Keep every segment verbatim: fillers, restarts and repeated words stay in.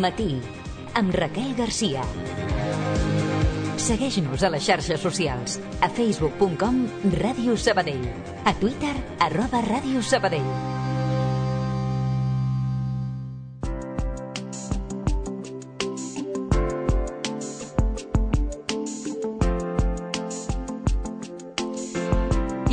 Matí, amb Raquel Garcia. Segueix-nos a les xarxes socials, a facebook punt com Ràdio Sabadell, a Twitter, arroba Ràdio Sabadell.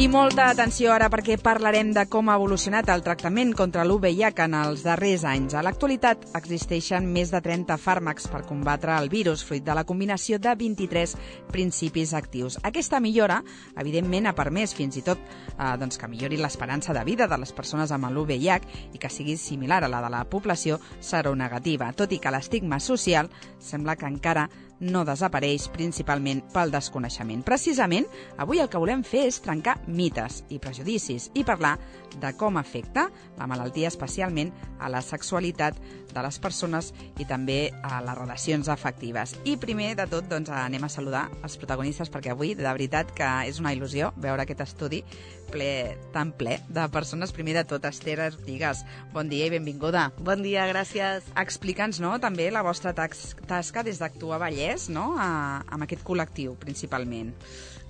I molta atenció ara perquè parlarem de com ha evolucionat el tractament contra l'U V I H en els darrers anys. A l'actualitat existeixen més de trenta fàrmacs per combatre el virus, fruit de la combinació de vint-i-tres principis actius. Aquesta millora, evidentment, ha permès fins i tot eh, doncs que millori l'esperança de vida de les persones amb l'U V I H i que sigui similar a la de la població seronegativa, tot i que l'estigma social sembla que encara no desapareix, principalment pel desconeixement. Precisament, avui el que volem fer és trencar mites i prejudicis i parlar de com afecta la malaltia especialment a la sexualitat de les persones i també a les relacions afectives. I primer de tot, doncs, anem a saludar els protagonistes, perquè avui, de veritat, que és una il·lusió veure aquest estudi ple, tan ple de persones. Primer de tot, Esther Artigas, bon dia i benvinguda. Bon dia, gràcies. Explica'ns, no?, també la vostra tasca des d'Actua Vallès, no?, a, amb aquest col·lectiu, principalment.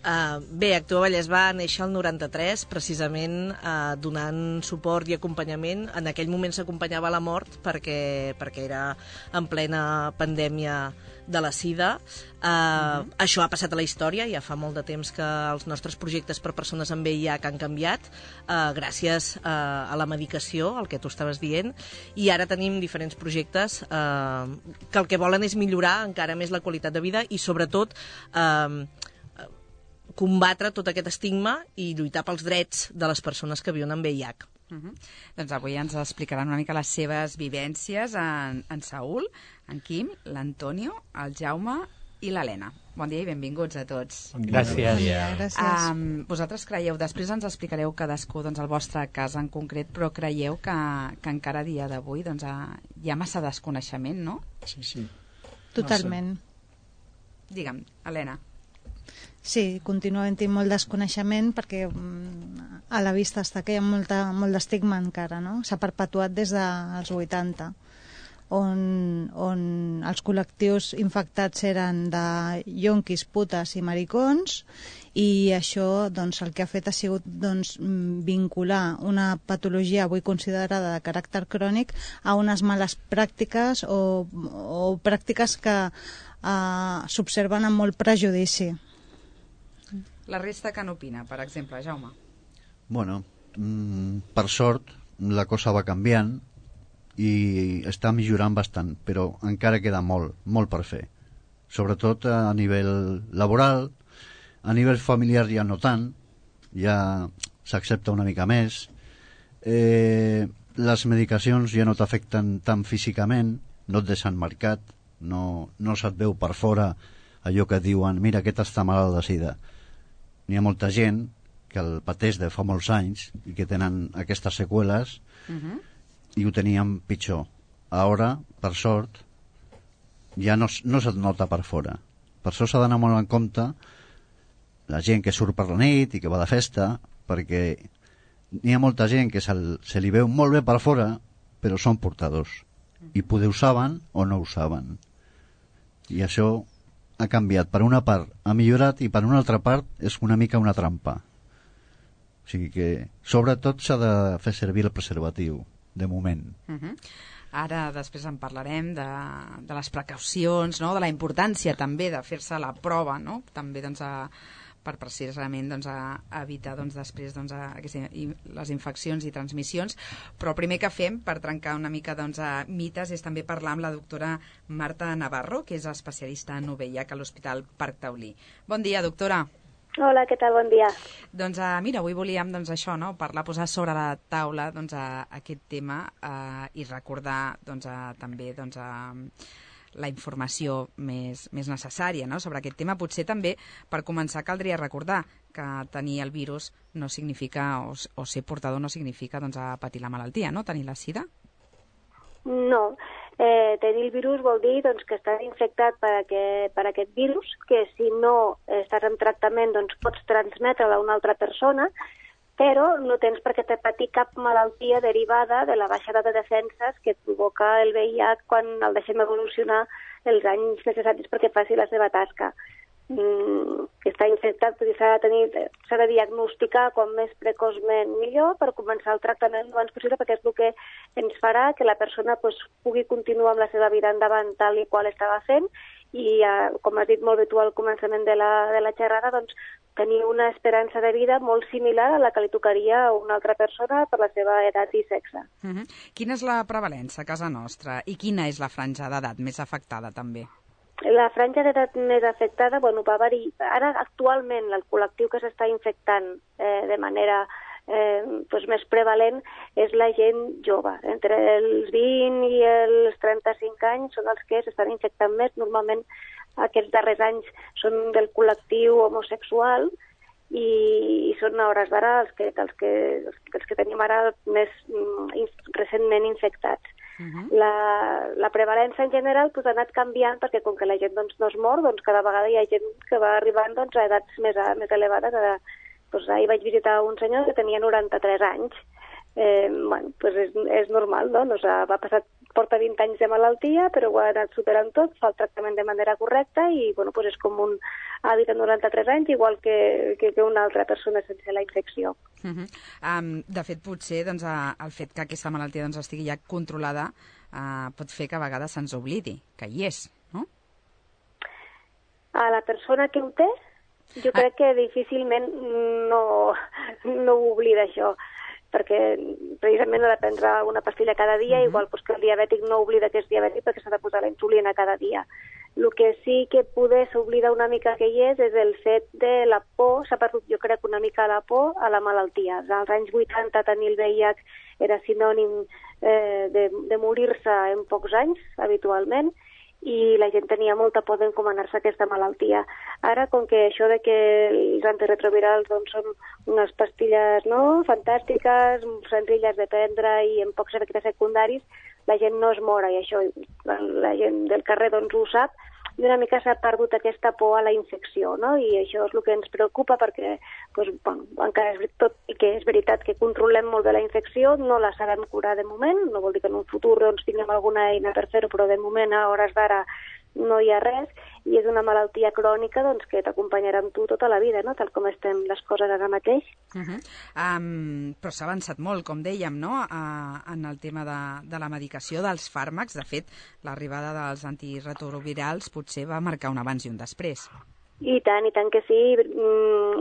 Uh, bé, Actua Vallès va néixer el noranta-tres, precisament uh, donant suport i acompanyament. En aquell moment s'acompanyava la mort perquè, perquè era en plena pandèmia de la sida. Uh, uh-huh. Això ha passat a la història, ja fa molt de temps que els nostres projectes per persones amb V I H han canviat, uh, gràcies uh, a la medicació, el que tu estaves dient, i ara tenim diferents projectes uh, que el que volen és millorar encara més la qualitat de vida i sobretot uh, combatre tot aquest estigma i lluitar pels drets de les persones que viuen amb V I H. Uh-huh. Doncs avui ens explicaran una mica les seves vivències en, en Saúl, en Quim, l'Antonio, el Jaume i l'Helena. Bon dia i benvinguts a tots. Bon dia. Gràcies. Bon dia. Gràcies. Um, vosaltres creieu, després ens explicareu cadascú doncs, el vostre cas en concret, però creieu que, que encara a dia d'avui doncs, hi ha massa desconeixement, no? Sí, sí. Totalment. Massa. Digue'm, Helena. Sí, continua havent-hi molt desconeixement perquè a la vista està que hi ha molta, molt d'estigma encara, no? S'ha perpetuat des dels vuitanta, on, on els col·lectius infectats eren de yonquis, putes i maricons, i això doncs, el que ha fet ha sigut doncs, vincular una patologia avui considerada de caràcter crònic a unes males pràctiques o, o pràctiques que eh, s'observen amb molt prejudici. La resta que n'opina, per exemple, Jaume? Bueno, mm, per sort la cosa va canviant i està millorant bastant, però encara queda molt, molt per fer. Sobretot a nivell laboral, a nivell familiar ja no tant, ja s'accepta una mica més. Eh, les medicacions ja no t'afecten tant físicament, no et deixen marcat, no, no se't veu per fora allò que diuen, mira, aquest està malalt de sida. N'hi ha molta gent que el pateix de fa molts anys i que tenen aquestes seqüeles uh-huh. i ho tenien pitjor. Ara, per sort, ja no, no se't nota per fora. Per això s'ha d'anar molt en compte la gent que surt per la nit i que va de festa, perquè n'hi ha molta gent que se, se li veu molt bé per fora, però són portadors. I poder ho saben o no ho saben. I això ha canviat. Per una part ha millorat i per una altra part és una mica una trampa. O sigui que sobretot s'ha de fer servir el preservatiu, de moment. Uh-huh. Ara després en parlarem de, de les precaucions, no? De la importància també de fer-se la prova, no? També doncs, a, per precisament doncs, a, a evitar doncs, després doncs, a, a, les infeccions i transmissions. Però el primer que fem per trencar una mica doncs, a mites és també parlar amb la doctora Marta Navarro, que és especialista en U V I H a l'Hospital Parc Taulí. Bon dia, doctora. Hola, què tal? Bon dia. Doncs uh, mira, avui volíem doncs, això, no? Parlar, posar sobre la taula doncs, uh, aquest tema uh, i recordar doncs, uh, també doncs, uh, la informació més, més necessària, no? Sobre aquest tema. Potser també, per començar, caldria recordar que tenir el virus no significa, o, o ser portador no significa doncs, a patir la malaltia, no? Tenir la sida? No. Eh, tenir el virus vol dir doncs, que estàs infectat per aquest, per aquest virus, que si no estàs en tractament doncs, pots transmetre-la a una altra persona, però no tens per què patir cap malaltia derivada de la baixada de defenses que provoca el V I H quan el deixem evolucionar els anys necessaris perquè faci la seva tasca. Mm, que està infectat, s'ha de tenir, s'ha de diagnosticar com més precoçment millor per començar el tractament el abans possible, perquè és el que ens farà que la persona pues, pugui continuar amb la seva vida endavant tal i qual estava fent i, eh, com has dit molt bé tu al començament de la, de la xerrada, doncs, tenir una esperança de vida molt similar a la que li tocaria a una altra persona per la seva edat i sexe. Uh-huh. Quina és la prevalença a casa nostra i quina és la franja d'edat més afectada també? La franja d'edat més afectada, bueno, va variar. Ara, actualment, el col·lectiu que s'està infectant eh, de manera eh, doncs més prevalent és la gent jove. Entre els vint i els trenta-cinc anys són els que s'estan infectant més. Normalment, aquests darrers anys són del col·lectiu homosexual i, i són a hores d'ara els que, els, que, els que tenim ara més mm, recentment infectats. Uh-huh. La, la prevalença en general pues, ha anat canviant perquè com que la gent doncs, no es mor, doncs cada vegada hi ha gent que va arribant doncs, a edats més, a, més elevades. Ara, doncs, ahir vaig visitar un senyor que tenia noranta-tres anys. Eh, bueno, pues és, és normal, no? no va passar, porta vint anys de malaltia, però ho ha anat superant tot, fa el tractament de manera correcta i bueno, pues és com un hàbit de noranta-tres anys, igual que, que, que una altra persona sense la infecció. Uh-huh. um, de fet, potser doncs, el fet que aquesta malaltia doncs, estigui ja controlada uh, pot fer que a vegades se'ns oblidi que hi és, no? A la persona que ho té, jo ah. crec que difícilment no, no ho oblida això, perquè precisament ha de prendre una pastilla cada dia, uh-huh. igual pues, que el diabètic no oblida que és diabètic perquè s'ha de posar la insulina cada dia. El que sí que poder s'oblida una mica que hi és és el fet de la por, s'ha perdut jo crec una mica la por a la malaltia. Als anys vuitanta tenir el V I H era sinònim eh, de, de morir-se en pocs anys, habitualment, i la gent tenia molta por d'encomanar-se a aquesta malaltia. Ara, com que això de que els antiretrovirals doncs, són unes pastilles no, fantàstiques, senzilles de prendre i amb pocs efectes secundaris, la gent no es mora i això la gent del carrer doncs, ho sap i una mica s'ha perdut aquesta por a la infecció, no? I això és el que ens preocupa perquè doncs, bueno, encara és tot i que és veritat que controlem molt bé la infecció, no la sabem curar de moment, no vol dir que en un futur doncs, tinguem alguna eina per fer-ho, però de moment a hores d'ara no hi ha res, i és una malaltia crònica doncs, que t'acompanyarà amb tu tota la vida, no? Tal com estem les coses ara mateix. Uh-huh. um, però s'ha avançat molt, com dèiem, no? uh, en el tema de, de la medicació, dels fàrmacs. De fet, l'arribada dels antiretrovirals potser va marcar un abans i un després. I tant, i tant que sí.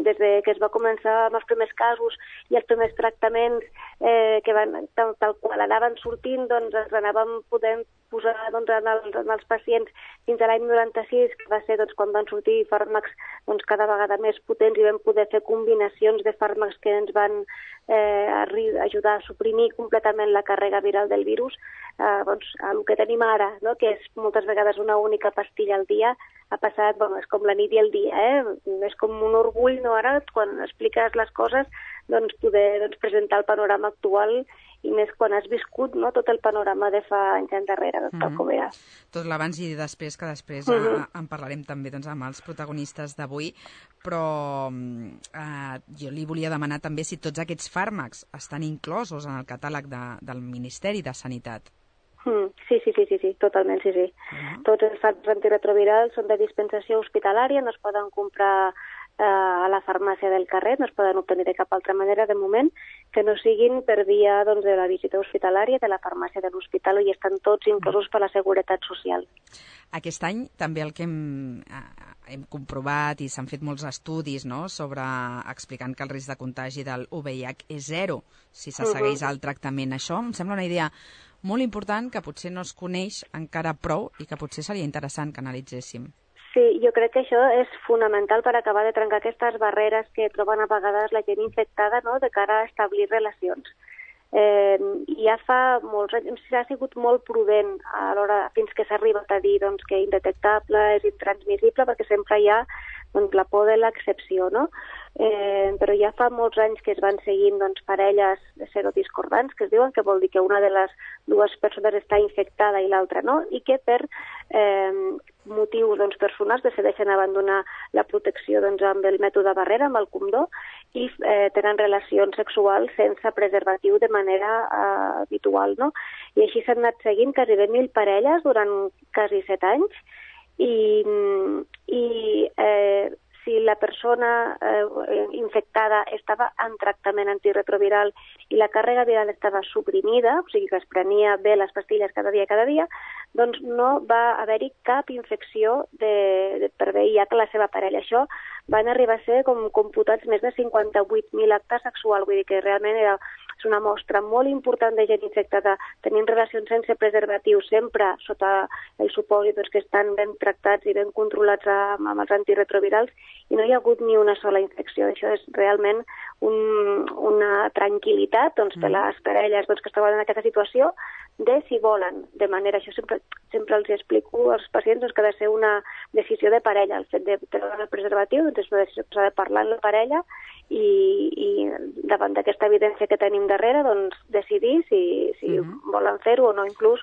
Des de que es va començar amb els primers casos i els primers tractaments eh, que van, tal, tal qual anaven sortint, doncs ens anàvem podent posar doncs, en, els, en els pacients fins a l'any noranta-sis, que va ser doncs, quan van sortir fàrmacs doncs, cada vegada més potents i vam poder fer combinacions de fàrmacs que ens van eh, ajudar a suprimir completament la càrrega viral del virus. Eh, doncs, el que tenim ara, no? Que és moltes vegades una única pastilla al dia, ha passat, bueno, és com la nit i el dia, eh? És com un orgull, no, ara, quan expliques les coses, doncs poder doncs, presentar el panorama actual i més quan has viscut no, tot el panorama de fa anys endarrere, doncs, tal com era. Tot l'abans i després, que després uh-huh. eh, en parlarem també doncs, amb els protagonistes d'avui, però eh, jo li volia demanar també si tots aquests fàrmacs estan inclosos en el catàleg de, del Ministeri de Sanitat. Mm, sí, sí, sí, sí, sí, totalment, sí, sí. Uh-huh. Tots els fàrmacs antiretrovirals són de dispensació hospitalària, no es poden comprar eh, a la farmàcia del carrer, no es poden obtenir de cap altra manera de moment, que no siguin per via doncs, de la visita hospitalària, de la farmàcia de l'hospital, i estan tots inclosos per la Seguretat Social. Aquest any també el que hem, hem comprovat i s'han fet molts estudis no, sobre explicant que el risc de contagi del U V I H és zero si se segueix uh-huh. el tractament. Això em sembla una idea molt important que potser no es coneix encara prou i que potser seria interessant que analitzéssim. Sí, jo crec que això és fonamental per acabar de trencar aquestes barreres que troben a vegades la gent infectada no, de cara a establir relacions. Eh, ja fa molts anys, ha sigut molt prudent a l'hora fins que s'ha arribat a dir doncs, que indetectable, és intransmissible, perquè sempre hi ha doncs, la por de l'excepció, no? Eh, però ja fa molts anys que es van seguint doncs, parelles serodiscordants, que es diuen, que vol dir que una de les dues persones està infectada i l'altra no, i que per eh, motius doncs, personals decideixen abandonar la protecció doncs, amb el mètode barrera, amb el condó, i eh, tenen relacions sexuals sense preservatiu de manera eh, habitual, no? I així s'han anat seguint quasi bé mil parelles durant quasi set anys i, i eh, si la persona eh, infectada estava en tractament antiretroviral i la càrrega viral estava suprimida, o sigui que es prenia bé les pastilles cada dia cada dia, doncs no va haver-hi cap infecció de, de, per V I H a la seva parella. Això van arribar a ser com computats més de cinquanta-vuit mil actes sexuals, vull dir que realment era és una mostra molt important de gent infectada tenint relacions sense preservatiu, sempre sota el supòsit doncs, que estan ben tractats i ben controlats amb, amb els antiretrovirals, i no hi ha hagut ni una sola infecció. Això és realment un, una tranquil·litat doncs, per les parelles doncs, que es troben en aquesta situació, de si volen, de manera, això sempre, sempre els explico als pacients doncs, que ha de ser una decisió de parella, el fet de treure el preservatiu, doncs és una decisió que s'ha de parlar amb la parella i, i davant d'aquesta evidència que tenim darrere, doncs decidir si, si uh-huh. volen fer-ho o no, inclús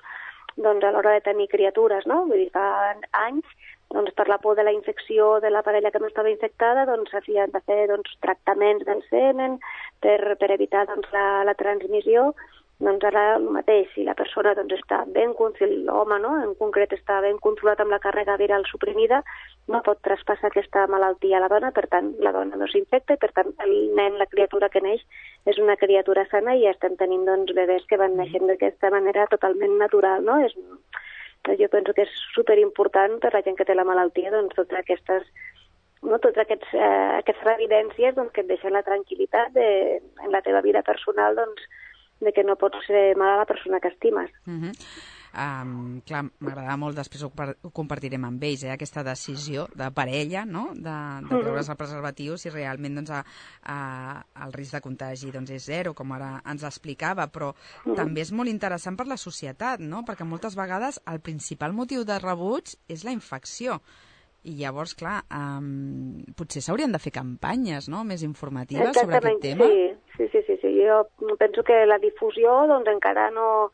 doncs, a l'hora de tenir criatures, no? Vull dir, fa anys, doncs, per la por de la infecció de la parella que no estava infectada, doncs s'havien de fer doncs, tractaments d'encenen per, per evitar doncs, la, la transmissió. Doncs ara el mateix, si la persona doncs, està ben, si l'home no, en concret està ben controlat amb la càrrega viral suprimida, no pot traspassar aquesta malaltia a la dona, per tant la dona no s'infecta i per tant el nen, la criatura que neix, és una criatura sana i estem tenint doncs, bebès que van naixent d'aquesta manera totalment natural, no? És, jo penso que és superimportant per la gent que té la malaltia, doncs totes aquestes no, totes aquests, eh, aquestes evidències doncs, que et deixen la tranquil·litat de, en la teva vida personal, doncs, de que no pots ser mala la persona que estimes. Uh-huh. Um, clar, m'agrada molt, després ho, ho compartirem amb ells, eh, aquesta decisió de parella, no?, de, de treure's el preservatiu, si realment doncs, a, a, el risc de contagi doncs, és zero, com ara ens explicava, però uh-huh. també és molt interessant per la societat, no?, perquè moltes vegades el principal motiu de rebuig és la infecció. I llavors, clar, um, potser s'haurien de fer campanyes, no?, més informatives sobre aquest tema. Sí, sí, sí, sí, sí. Jo penso que la difusió doncs, encara no,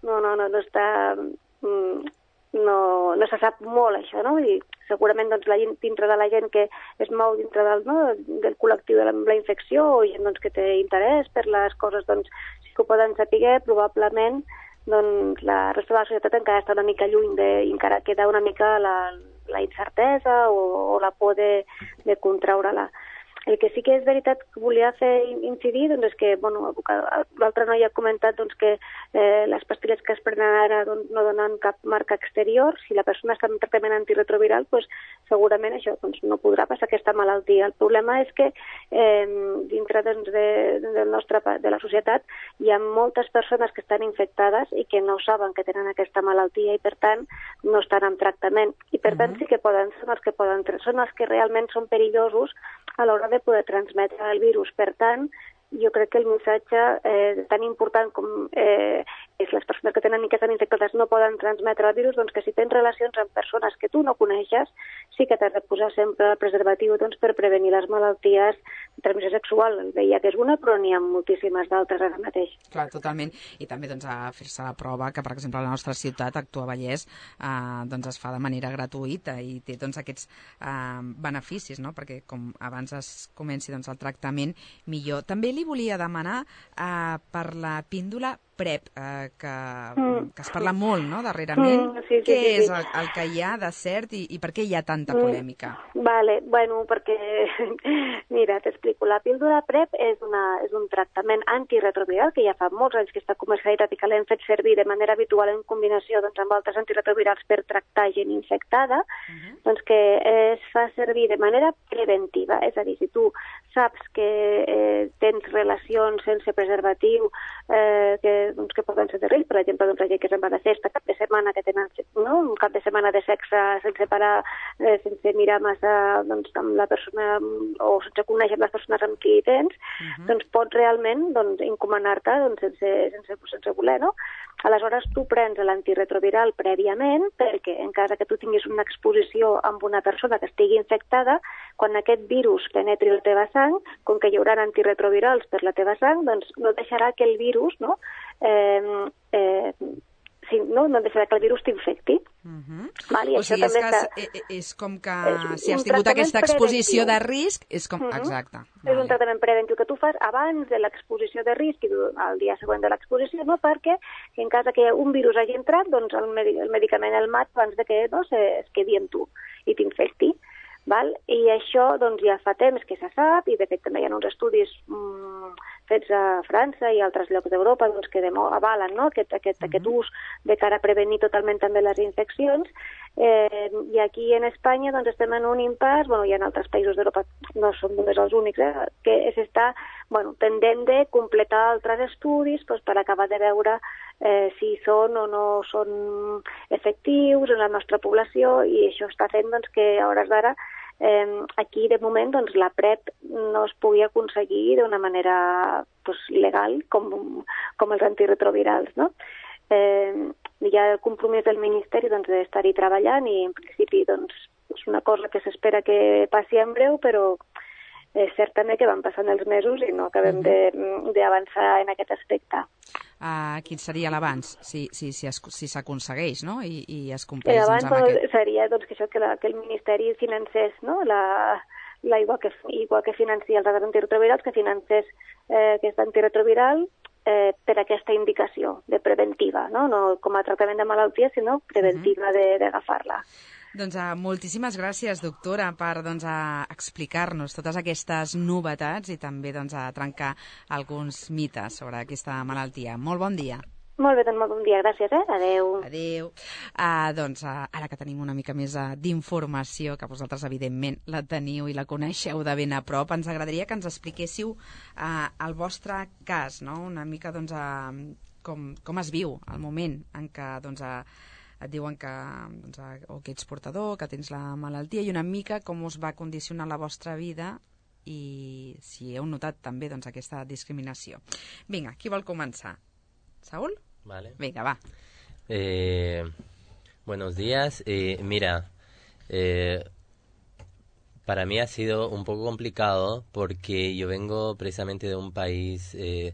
no, no, no, no està... No, no se sap molt, això, no? Vull dir, segurament doncs, la gent, dintre de la gent que es mou dintre del, no, del col·lectiu de la, la infecció o gent doncs, que té interès per les coses, doncs, sí que ho poden saber, probablement doncs, la resta de la societat encara està una mica lluny de, i encara queda una mica la, la incertesa o, o la por de, de contraure-la. El que sí que és veritat que volia fer incidir doncs, és que, bueno, l'altre noi ha comentat doncs, que eh, les pastilles que es prenen ara doncs, no donen cap marca exterior. Si la persona està en tractament antiretroviral, doncs, segurament això doncs, no podrà passar aquesta malaltia. El problema és que eh, dintre doncs, de, del nostre, de la societat hi ha moltes persones que estan infectades i que no saben que tenen aquesta malaltia i, per tant, no estan en tractament. I, per tant, sí que poden, són els que poden, són els que realment són perillosos a l'hora de poder transmetre el virus. Per tant, jo crec que el missatge eh, tan important com eh, és les persones que tenen i que estan infectades no poden transmetre el virus, doncs que si tens relacions amb persones que tu no coneixes, sí que t'has de posar sempre el preservatiu doncs, per prevenir les malalties de transmissió sexual. El V I H és una, però n'hi ha moltíssimes d'altres ara mateix. Clar, totalment. I també doncs, a fer-se la prova que, per exemple, a la nostra ciutat, Actua Vallès, eh, doncs es fa de manera gratuïta i té doncs, aquests eh, beneficis, no? Perquè com abans es comenci doncs, el tractament, millor. També li volia demanar eh, per la píndola PrEP, eh, que, mm. que es parla molt, no?, darrerament. Mm, sí, sí, Què sí, sí. és el, el que hi ha de cert i, i per què hi ha tanta polèmica? Mm, vale, bueno, perquè, mira, t'explico. La píldora PrEP és, una, és un tractament antiretroviral que ja fa molts anys que està comercialitzat i que l'hem fet servir de manera habitual en combinació doncs, amb altres antiretrovirals per tractar gent infectada, uh-huh. doncs que es fa servir de manera preventiva. És a dir, si tu saps que eh, tens relacions sense preservatiu, eh, que doncs, que poden ser de risc, per exemple, doncs, la gent que se'n va de festa cap de setmana, que tenen no? un cap de setmana de sexe sense parar, eh, sense mirar massa doncs, amb la persona o sense conèixer les persones amb qui tens, uh-huh. doncs pots realment doncs, encomanar-te doncs, sense, sense, sense voler, no? Aleshores, tu prens l'antiretroviral prèviament perquè, en cas que tu tinguis una exposició amb una persona que estigui infectada, quan aquest virus penetri la teva sang, com que hi haurà antiretrovirals per la teva sang, doncs no deixarà que el virus no, eh, eh, si, no, no deixarà que el virus t'infecti. Uh -huh. Val? I o això sigui, és, també que està... és, és com que és si has un tingut tractament aquesta exposició preventiu. de risc, és com... Uh -huh. Exacte. És Vale. un tractament preventiu que tu fas abans de l'exposició de risc i el dia següent de l'exposició, no? Perquè si en cas que un virus hagi entrat, doncs el, medi el medicament el mat abans de que no, se, es quedi amb tu i t'infecti. Val? I això doncs, ja fa temps que se sap, i de fet també hi ha uns estudis mm, fets a França i altres llocs d'Europa doncs, que avalen, no? aquest, aquest, uh -huh. aquest ús de cara a prevenir totalment també les infeccions. Eh, I aquí en Espanya doncs, estem en un impàs, bueno, i en altres països d'Europa no som només els únics, eh, que s'està bueno, pendent de completar altres estudis doncs, per acabar de veure eh, si són o no són efectius en la nostra població, i això està fent doncs, que a hores d'ara Eh, aquí, de moment, doncs, la PrEP no es pugui aconseguir d'una manera pues, legal, com, com els antiretrovirals, no? Eh, hi ha el compromís del Ministeri doncs, d'estar-hi treballant i, en principi, doncs, és una cosa que s'espera que passi en breu, però és cert també que van passant els mesos i no acabem d'avançar en aquest aspecte. Uh, quin seria l'avanç, si si, si, si s'aconsegueix, no? I, i es compleix L'avanç doncs, amb doncs, aquest... seria doncs, que, això, que, la, que el Ministeri financés, no? la, la, igual, que, igual que financia els altres antiretrovirals, que financés eh, aquest antiretroviral eh, per aquesta indicació de preventiva, no? No com a tractament de malaltia, sinó preventiva uh -huh. d'agafar-la. Doncs uh, moltíssimes gràcies, doctora, per doncs, uh, explicar-nos totes aquestes novetats i també doncs, a trencar alguns mites sobre aquesta malaltia. Molt bon dia. Molt bé, doncs molt bon dia. Gràcies, eh? Adéu. Adéu. Uh, doncs, uh, ara que tenim una mica més uh, d'informació, que vosaltres, evidentment, la teniu i la coneixeu de ben a prop, ens agradaria que ens expliquéssiu uh, el vostre cas, no? Una mica, doncs, uh, com, com es viu el moment en què, doncs, uh, et diuen que, doncs, o que ets portador, que tens la malaltia, i una mica com us va condicionar la vostra vida i si heu notat també doncs, aquesta discriminació. Vinga, qui vol començar? Saúl? Vale. Venga, va. Eh, buenos días. Eh, mira, eh, para mí ha sido un poco complicado porque yo vengo precisamente de un país eh,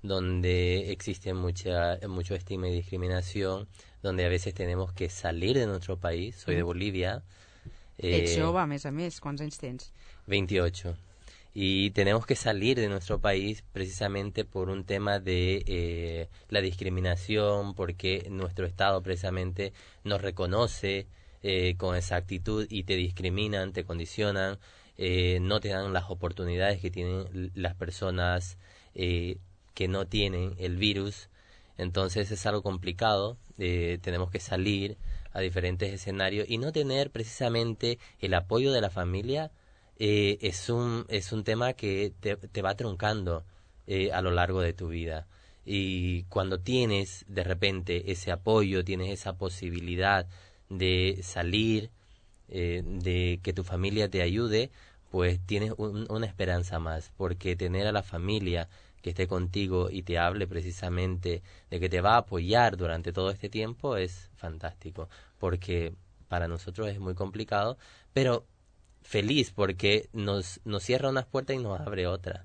donde existe mucha, mucho estigma y discriminación, donde a veces tenemos que salir de nuestro país. Soy de Bolivia. Eh, Ets jove, a més a més. Quants anys tens? veintiocho. Y tenemos que salir de nuestro país precisamente por un tema de eh, la discriminación, porque nuestro Estado precisamente nos reconoce eh, con exactitud y te discriminan, te condicionan, eh, no te dan las oportunidades que tienen las personas eh, que no tienen el virus. Entonces es algo complicado, eh, tenemos que salir a diferentes escenarios y no tener precisamente el apoyo de la familia. Eh, es un es un tema que te, te va truncando eh, a lo largo de tu vida, y cuando tienes de repente ese apoyo, tienes esa posibilidad de salir, eh, de que tu familia te ayude, pues tienes un, una esperanza más, porque tener a la familia que esté contigo y te hable precisamente de que te va a apoyar durante todo este tiempo es fantástico, porque para nosotros es muy complicado, pero feliz porque nos, nos cierra unas puertas y nos abre otras.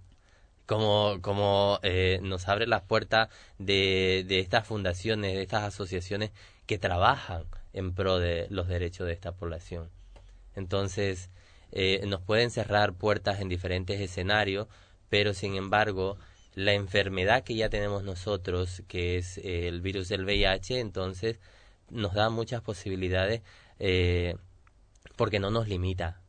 Como, como eh, nos abre las puertas de, de estas fundaciones, de estas asociaciones que trabajan en pro de los derechos de esta población. Entonces, eh, nos pueden cerrar puertas en diferentes escenarios, pero sin embargo, la enfermedad que ya tenemos nosotros, que es eh, el virus del V I H, entonces nos da muchas posibilidades eh, porque no nos limita.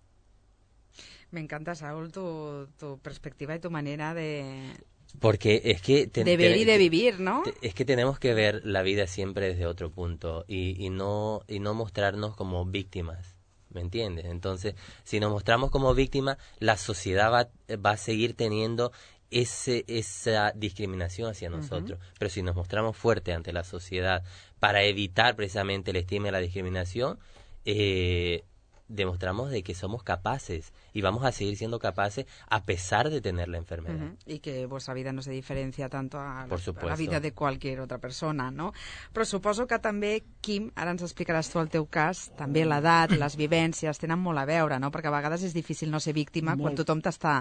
Me encanta, Saúl, tu, tu perspectiva y tu manera de... Porque es que... Te, de ver te, y de vivir, ¿no? Te, es que tenemos que ver la vida siempre desde otro punto y, y, no, y no mostrarnos como víctimas, ¿me entiendes? Entonces, si nos mostramos como víctimas, la sociedad va, va a seguir teniendo ese, esa discriminación hacia nosotros. Uh-huh. Pero si nos mostramos fuertes ante la sociedad para evitar precisamente el estigma y la discriminación, eh, demostramos de que somos capaces y vamos a seguir siendo capaces a pesar de tener la enfermedad. Uh-huh. Y que vuestra vida no se diferencia tanto a, Por supuesto. a la vida de cualquier otra persona, no? Però suposo que també, Quim, ara ens explicaràs tu el teu cas, també l'edat, les vivències tenen molt a veure, no? Perquè a vegades és difícil no ser víctima molt, quan tothom t'està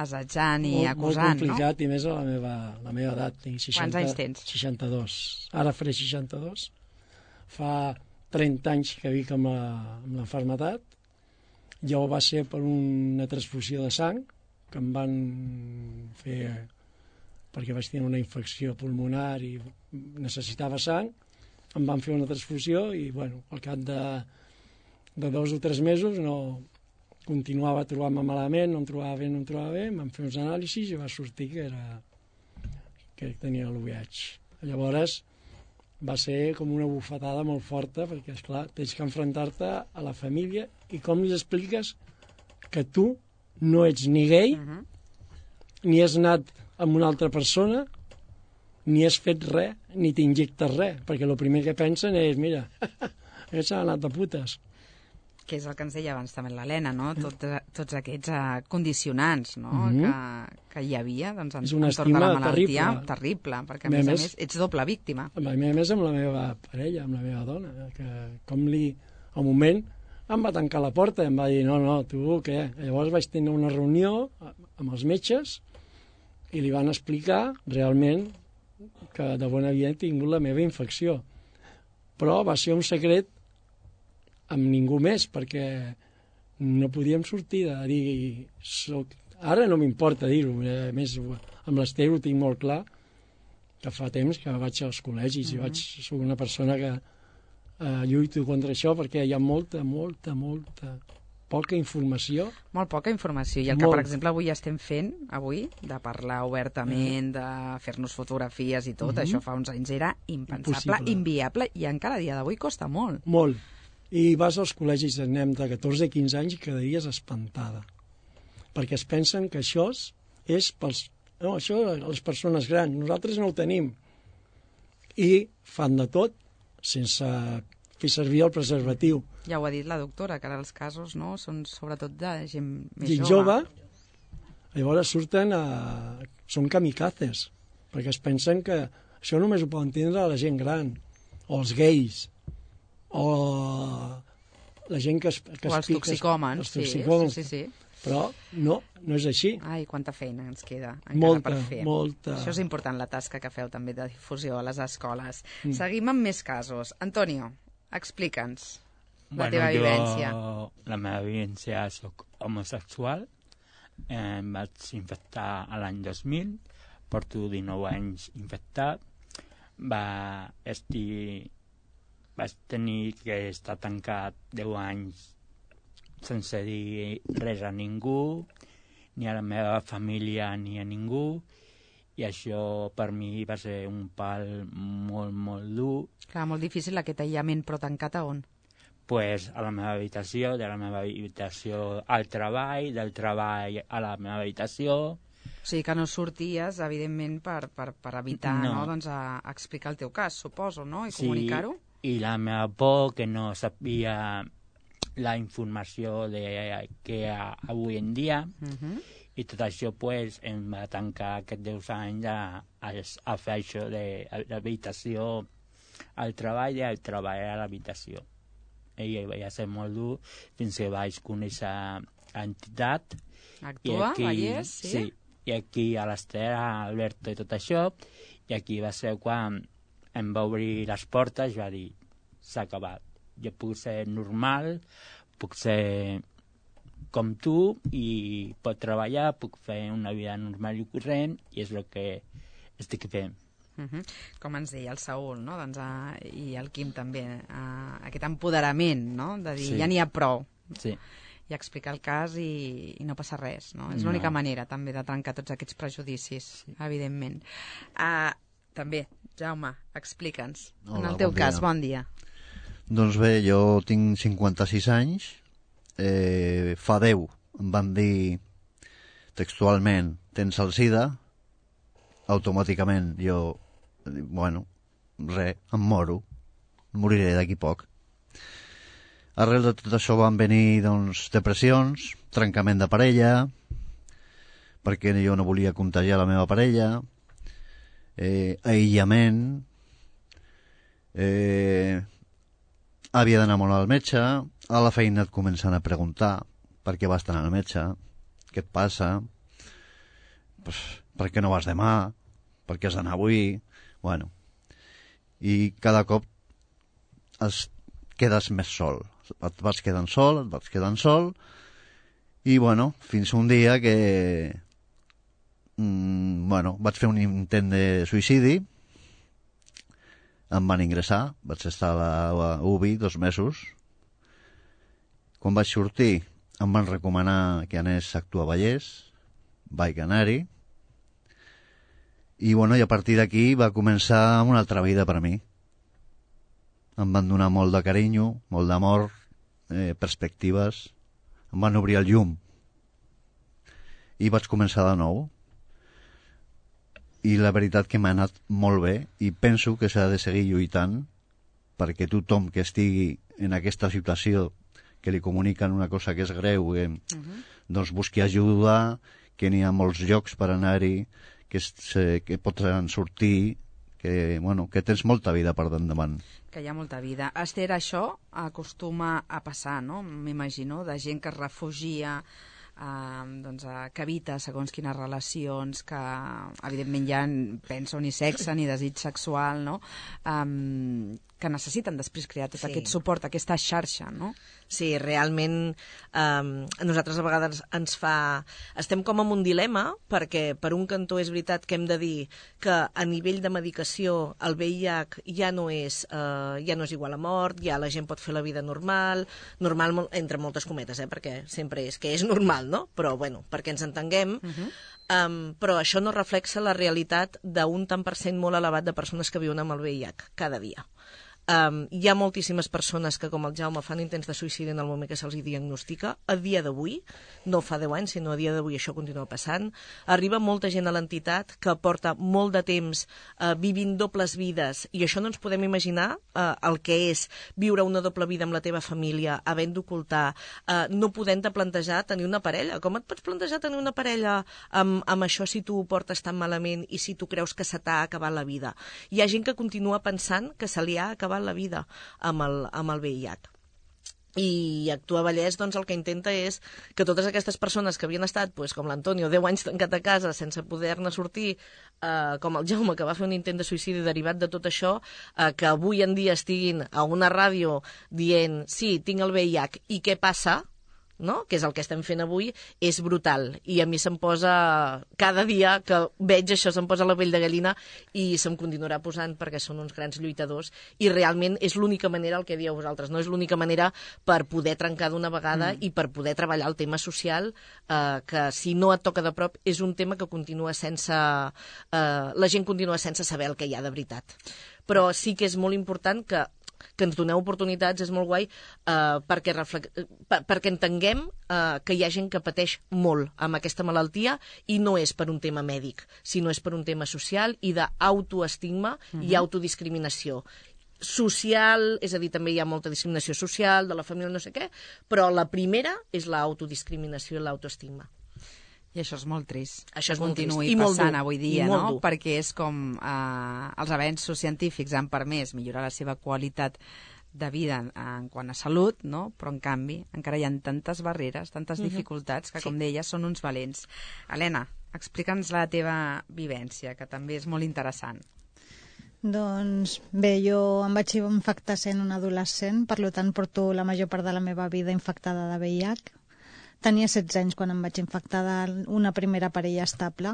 assetjant i molt, acusant, molt complicat, no? I més a la meva, la meva edat. Tinc seixanta, Quants anys tens? seixanta-dos. Ara faré seixanta-dos. fa trenta anys que vic amb la, amb la malaltia. Jo va ser per una transfusió de sang que em van fer perquè vaig tenir una infecció pulmonar i necessitava sang, em van fer una transfusió i, bueno, al cap de, de dos o tres mesos no continuava trobant-me malament, no em trobava bé, no em trobava bé, em van fer uns anàlisis i va sortir que era que tenia l'U V I H. Llavors va ser com una bufetada molt forta perquè, esclar, tens que enfrontar-te a la família i com li expliques que tu no ets ni gay, uh-huh. ni has anat amb una altra persona, ni has fet res, ni t'injectes res, perquè el primer que pensen és, mira, aquest s'ha anat de putes. Que és el que ens deia abans també l'Helena, no? Tot, tots aquests uh, condicionants, no? Mm-hmm. que, que hi havia doncs, en, és una entorn de la malaltia. terrible. Terrible, perquè a més a més ets doble víctima. A més amb la meva parella, amb la meva dona, que com li, al moment, em va tancar la porta i em va dir, no, no, tu què? Llavors vaig tenir una reunió amb els metges i li van explicar realment que de bon havia tingut la meva infecció. Però va ser un secret amb ningú més, perquè no podíem sortir de dir... Soc... Ara no m'importa dir-ho, a més, amb l'Ester ho tinc molt clar, que fa temps que vaig als col·legis mm-hmm. i vaig, soc una persona que eh, lluito contra això, perquè hi ha molta, molta, molta poca informació. Molt poca informació, i el que, molt. per exemple, avui estem fent, avui, de parlar obertament, de fer-nos fotografies i tot, mm-hmm. això fa uns anys era impensable, Impossible. inviable, i encara a dia d'avui costa molt. Molt. I vas als col·legis de nen de catorze a quinze anys i quedaries espantada. Perquè es pensen que això és pels... No, això les persones grans. Nosaltres no ho tenim. I fan de tot sense fer servir el preservatiu. Ja ho ha dit la doctora, que ara els casos no, són sobretot de gent més gent jove. jove. Llavors surten a... Són kamikazes, perquè es pensen que això només ho poden tindre la gent gran, o els gais, o la gent que es, que o els toxicòmens, els toxicòmens. Sí, sí, sí. Però no, no és així. Ai, quanta feina ens queda encara molta, per fer. Molta. Això és important, la tasca que feu també de difusió a les escoles. Mm. Seguim amb més casos. Antonio, explica'ns la bueno, teva jo, vivència. La meva vivència, soc homosexual, eh, em vaig infectar a l'any dos mil, porto dinou anys infectat, va estir... vaig tenir que estar tancat deu anys sense dir res a ningú, ni a la meva família ni a ningú, i això per mi va ser un pal molt, molt dur. Clar, molt difícil aquest aïllament, però tancat a on? Pues a la meva habitació, de la meva habitació al treball, del treball a la meva habitació. O sigui que no sorties, evidentment, per, per, per evitar no. No, doncs, a, a explicar el teu cas, suposo, no? I sí, comunicar-ho? I la meva por, que no sabia la informació de que hi ha avui en dia, uh-huh. i tot això pues, em va tancar aquests deu anys a, a, a fer això de l'habitació al treball i al treball a l'habitació. I va ser molt dur fins que vaig conèixer l'entitat. Actua, aquí, Vallès, sí? Sí, i aquí a l'Ester, a Alberto i tot això, i aquí va ser quan em va obrir les portes i va dir, s'ha acabat. Jo puc ser normal, puc ser com tu i pot treballar, puc fer una vida normal i corrent i és el que estic fent. Uh-huh. Com ens deia el Saúl, no? doncs, uh, i el Quim també, uh, aquest empoderament, no? De dir, sí. ja n'hi ha prou. Sí. I explicar el cas i, i no passa res, no? És no. l'única manera també de trencar tots aquests prejudicis, sí. evidentment. Uh, també, Jaume, explica'ns. Hola, en el teu bon cas, dia. bon dia. Doncs bé, jo tinc cinquanta-sis anys, eh, fa deu em van dir textualment, tens el sida, automàticament jo, bueno, res, em moro, moriré d'aquí poc. Arrel de tot això van venir, doncs, depressions, trencament de parella, perquè jo no volia contagiar la meva parella, eh, aïllament, eh, havia d'anar molt al metge, a la feina et comencen a preguntar per què vas anar al metge, què et passa, pues, per què no vas demà, per què has d'anar avui, bueno, i cada cop es quedes més sol. Et vas quedant sol, et vas quedant sol, i, bueno, fins un dia que, mm, bueno, vaig fer un intent de suïcidi, em van ingressar, vaig estar a la U B I dos mesos. Quan vaig sortir, em van recomanar que anés a actuar a Vallès, vaig anar-hi, i, bueno, i a partir d'aquí va començar una altra vida per a mi. Em van donar molt de carinyo, molt d'amor, eh, perspectives, em van obrir el llum i vaig començar de nou, i la veritat que m'ha anat molt bé, i penso que s'ha de seguir lluitant perquè tothom que estigui en aquesta situació, que li comuniquen una cosa que és greu, eh, uh-huh. doncs busqui ajuda, que n'hi ha molts llocs per anar-hi, que, es, que pots sortir, que, bueno, que tens molta vida per endavant. Que hi ha molta vida. Esther, això acostuma a passar, no? M'imagino, de gent que es refugia, eh, doncs, que evita segons quines relacions, que evidentment ja pensa ni sexe ni desig sexual, no? Um, que necessiten després crear tot sí. aquest suport, aquesta xarxa, no? Sí, realment eh, a nosaltres a vegades ens fa... Estem com en un dilema, perquè per un cantó és veritat que hem de dir que a nivell de medicació el V I H ja no és, eh, ja no és igual a mort, ja la gent pot fer la vida normal, normal entre moltes cometes, eh, perquè sempre és que és normal, no? Però, bueno, perquè ens entenguem... Uh-huh. Um, però això no reflexa la realitat d'un tant per cent molt elevat de persones que viuen amb el V I H cada dia. Um, hi ha moltíssimes persones que, com el Jaume, fan intents de suïcidi en el moment que se'ls diagnostica. A dia d'avui, no fa deu anys, sinó a dia d'avui això continua passant. Arriba molta gent a l'entitat que porta molt de temps uh, vivint dobles vides, i això no ens podem imaginar uh, el que és viure una doble vida amb la teva família, havent d'ocultar, uh, no podent-te plantejar tenir una parella. Com et pots plantejar tenir una parella amb, amb això si tu ho portes tan malament i si tu creus que se t'ha acabat la vida? Hi ha gent que continua pensant que se li ha acabat la vida amb el, amb el V I H. I Actua Vallès, doncs, el que intenta és que totes aquestes persones que havien estat, pues, com l'Antonio, deu anys tancat a casa sense poder-ne sortir, eh, com el Jaume, que va fer un intent de suïcidi derivat de tot això, eh, que avui en dia estiguin a una ràdio dient, sí, tinc el V I H, i què passa? No? Que és el que estem fent avui, és brutal. I a mi se'm posa, cada dia que veig això, se'm posa la pell de gallina, i se'm continuarà posant perquè són uns grans lluitadors, i realment és l'única manera, el que dieu vosaltres, no és l'única manera per poder trencar d'una vegada mm. i per poder treballar el tema social, eh, que si no et toca de prop, és un tema que continua sense... Eh, la gent continua sense saber el que hi ha de veritat. Però sí que és molt important que que ens doneu oportunitats, és molt guai, eh, perquè, reflex... per, perquè entenguem eh, que hi ha gent que pateix molt amb aquesta malaltia, i no és per un tema mèdic, sinó és per un tema social i d'autoestigma uh-huh. i autodiscriminació. Social, és a dir, també hi ha molta discriminació social, de la família, no sé què, però la primera és l'autodiscriminació i l'autoestigma. I això és molt trist. Això és que molt continuï trist. I passant molt dur. avui dia, I molt no? dur. Perquè és com eh, els avenços científics han permès millorar la seva qualitat de vida en, en quant a salut, no? Però en canvi encara hi ha tantes barreres, tantes uh-huh. dificultats, que sí. com deia, són uns valents. Helena, explica'ns la teva vivència, que també és molt interessant. Doncs bé, jo em vaig infectar sent un adolescent, per tant porto la major part de la meva vida infectada de V I H. Tenia setze anys quan em vaig infectar d'una primera parella estable.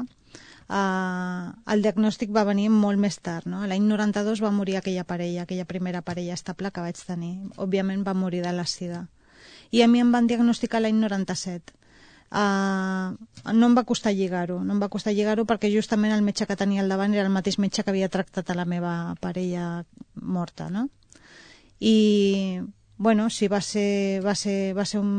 Uh, el diagnòstic va venir molt més tard, no? L'any noranta-dos va morir aquella parella, aquella primera parella estable que vaig tenir. Òbviament va morir de la sida. I a mi em van diagnosticar l'any noranta-set. Uh, no em va costar lligar-ho, no em va costar lligar-ho perquè justament el metge que tenia al davant era el mateix metge que havia tractat a la meva parella morta, no? I... Bueno, sí, va ser, va ser, va ser un,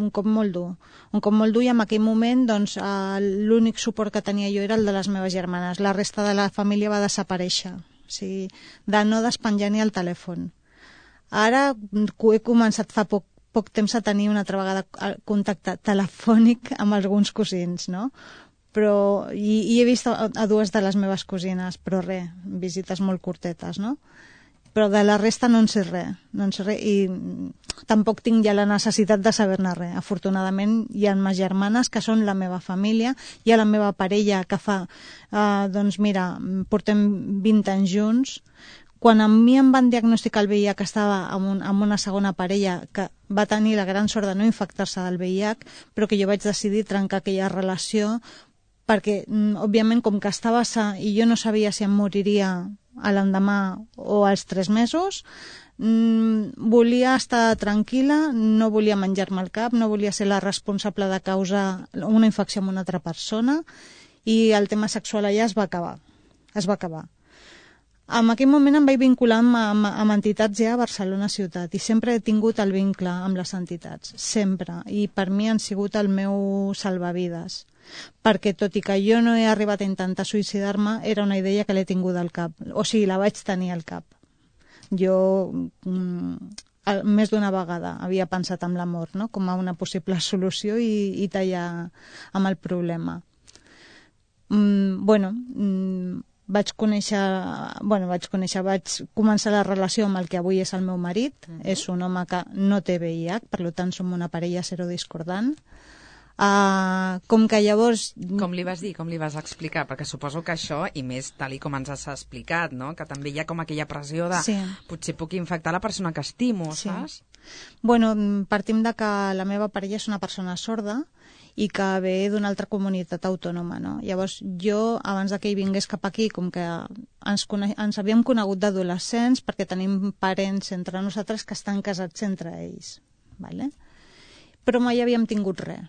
un cop molt dur. Un cop molt dur, i en aquell moment doncs, eh, l'únic suport que tenia jo era el de les meves germanes. La resta de la família va desaparèixer. O sigui, de no despenjar ni el telèfon. Ara he començat fa poc, poc temps a tenir una altra vegada contacte telefònic amb alguns cosins, no? Però, i, i he vist a, a dues de les meves cosines, però res, visites molt curtetes, no? Però de la resta no en sé res, no en sé res, i tampoc tinc ja la necessitat de saber-ne res. Afortunadament hi ha mes germanes que són la meva família, hi ha la meva parella que fa, eh, doncs mira, portem vint anys junts, Quan a mi em van diagnosticar el V I H, que estava amb, un, amb una segona parella que va tenir la gran sort de no infectar-se del V I H, però que jo vaig decidir trencar aquella relació perquè, òbviament, com que estava sa i jo no sabia si em moriria a l'endemà o als tres mesos, mmm, volia estar tranquil·la, no volia menjar-me el cap, no volia ser la responsable de causar una infecció amb una altra persona, i el tema sexual allà es va acabar. Es va acabar. En aquell moment em vaig vincular amb, amb, amb entitats ja a Barcelona ciutat i sempre he tingut el vincle amb les entitats, sempre. I per mi han sigut el meu salvavides. Perquè tot i que jo no he arribat a intentar suïcidar-me, era una idea que l'he tingut al cap. O sigui, la vaig tenir al cap. Jo mm, més d'una vegada havia pensat en la mort, no? Com a una possible solució i, i tallar amb el problema. Mm, bueno, mm, vaig conèixer, bueno, vaig conèixer, vaig començar la relació amb el que avui és el meu marit. Uh-huh. És un home que no té V I H, per tant som una parella serodiscordant. Uh, com que llavors... Com li vas dir, com li vas explicar? Perquè suposo que això, i més tal i com ens has explicat, no? Que també hi ha com aquella pressió de sí. Potser puc infectar la persona que estimo, sí. Saps? Bueno, partim de que la meva parella és una persona sorda i que ve d'una altra comunitat autònoma, no? Llavors jo, abans que ell vingués cap aquí, com que ens, cone... ens havíem conegut d'adolescents perquè tenim parents entre nosaltres que estan casats entre ells, vale? Però mai havíem tingut res.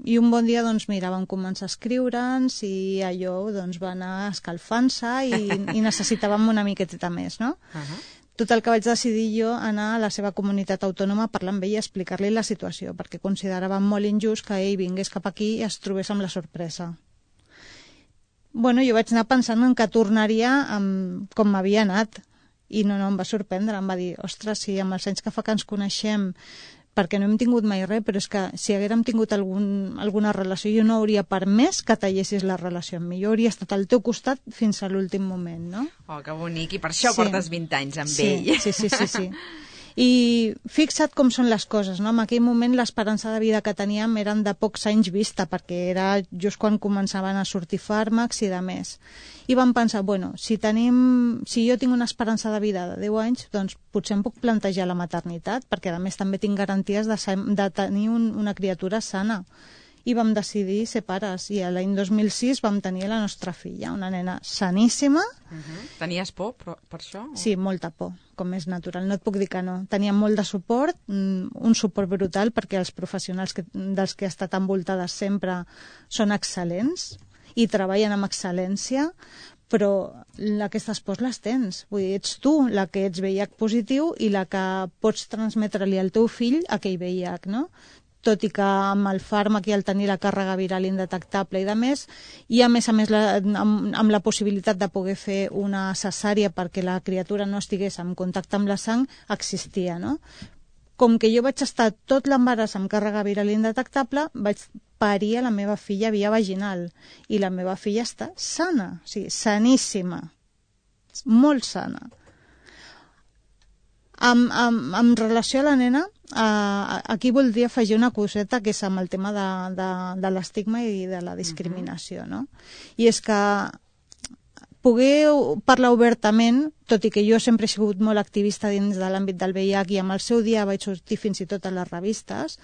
I un bon dia, doncs, mira, vam començar a escriure'ns i allò, doncs, va anar escalfant-se i, i necessitàvem una miqueta més, no? Uh-huh. Tot el que vaig decidir jo anar a la seva comunitat autònoma a parlar amb ell i explicar-li la situació, perquè consideràvem molt injust que ell vingués cap aquí i es trobés amb la sorpresa. Bueno, jo vaig anar pensant en que tornaria amb, com m'havia anat, i no, no, em va sorprendre, em va dir, ostres, si amb els anys que fa que ens coneixem, perquè no hem tingut mai res, però és que si haguérem tingut algun, alguna relació, jo no hauria permès que tallessis la relació amb mi. Jo hauria estat al teu costat fins a l'últim moment, no? Oh, que bonic, i per això sí. Portes vint anys amb sí, ell. Sí, sí, sí, sí. I fixa't com són les coses, no? En aquell moment l'esperança de vida que teníem eren de pocs anys vista, perquè era just quan començaven a sortir fàrmacs i de més. I vam pensar, bueno, si tenim, si jo tinc una esperança de vida de deu anys, doncs potser em puc plantejar la maternitat, perquè a més també tinc garanties de, de tenir un, una criatura sana. I vam decidir ser pares, i l'any dos mil sis vam tenir la nostra filla, una nena saníssima. Uh-huh. Tenies por per, per això? O? Sí, molta por, com és natural, no et puc dir que no. Teníem molt de suport, un suport brutal, perquè els professionals que, dels que he estat envoltada sempre són excel·lents i treballen amb excel·lència, però aquestes pors les tens. Vull dir, ets tu la que ets V I H positiu i la que pots transmetre-li al teu fill aquell V I H, no? Tot i que amb el fàrmac i el tenir la càrrega viral indetectable i de més, i a més a més la, amb, amb la possibilitat de poder fer una cesària perquè la criatura no estigués en contacte amb la sang, existia, no? Com que jo vaig estar tot l'embaràs amb càrrega viral indetectable, vaig parir a la meva filla via vaginal, i la meva filla està sana, o sigui, saníssima, molt sana. Amb, amb, amb relació a la nena, eh, aquí voldria afegir una coseta que és amb el tema de, de, de l'estigma i de la discriminació, no? I és que poder parlar obertament, tot i que jo sempre he sigut molt activista dins de l'àmbit del V I H i amb el seu dia vaig sortir fins i tot a les revistes,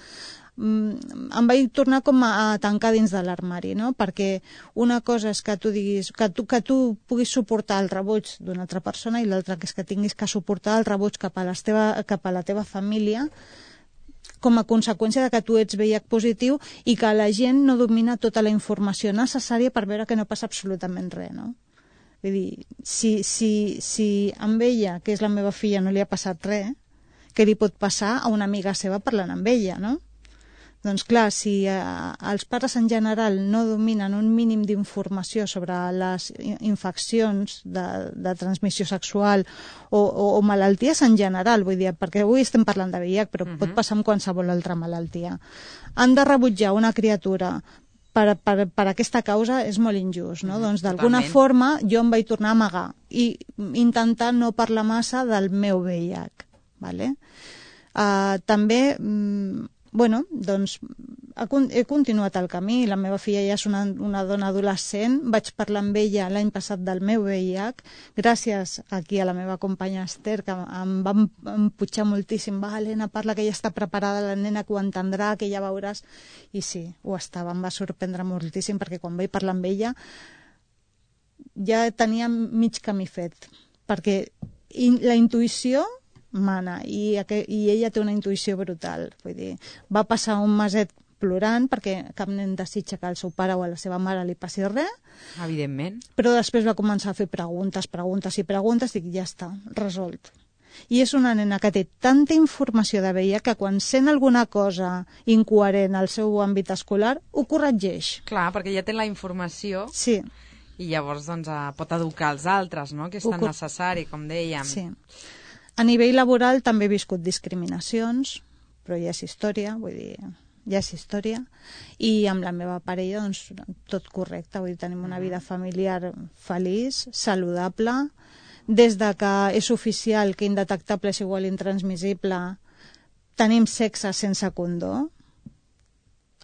em vaig tornar com a tancar dins de l'armari, no? Perquè una cosa és que tu diguis que tu, que tu puguis suportar el rebuig d'una altra persona i l'altra que és que tinguis que suportar el rebuig cap a, les teva, cap a la teva família com a conseqüència de que tu ets V I H positiu i que la gent no domina tota la informació necessària per veure que no passa absolutament res, no? Vull dir, si, si, si amb ella, que és la meva filla, no li ha passat res, què li pot passar a una amiga seva parlant amb ella, no? Doncs clar, si eh, els pares en general no dominen un mínim d'informació sobre les infeccions de, de transmissió sexual o, o, o malalties en general, vull dir, perquè avui estem parlant de V I H, però uh-huh. pot passar amb qualsevol altra malaltia, han de rebutjar una criatura per, per, per aquesta causa és molt injust, no? Uh-huh. Doncs d'alguna forma jo em vaig tornar a amagar i intentar no parlar massa del meu V I H, vale? Uh, també... Mm, bueno, doncs he continuat el camí. La meva filla ja és una, una dona adolescent. Vaig parlar amb ella l'any passat del meu V I H, gràcies aquí a la meva companya Esther, que em va empujar moltíssim. Va, Helena, parla, que ja està preparada, la nena que ho entendrà, que ja veuràs. I sí, ho estava, em va sorprendre moltíssim, perquè quan vaig parlar amb ella ja tenia mig camí fet, perquè la intuïció mana, i, i ella té una intuïció brutal. Vull dir, va passar un meset plorant, perquè cap nen desitja que al seu pare o a la seva mare li passi res. Evidentment. Però després va començar a fer preguntes, preguntes i preguntes, i dic, ja està, resolt. I és una nena que té tanta informació de V I H que quan sent alguna cosa incoherent al seu àmbit escolar, ho corregeix. Clar, perquè ja té la informació. Sí. I llavors doncs, pot educar els altres, no?, que és tan cor... necessari, com dèiem. Sí. A nivell laboral també he viscut discriminacions, però ja és història, vull dir, ja és història. I amb la meva parella, doncs, tot correcte, vull dir, tenim una vida familiar feliç, saludable. Des de que és oficial que indetectable és igual intransmissible, tenim sexe sense condó.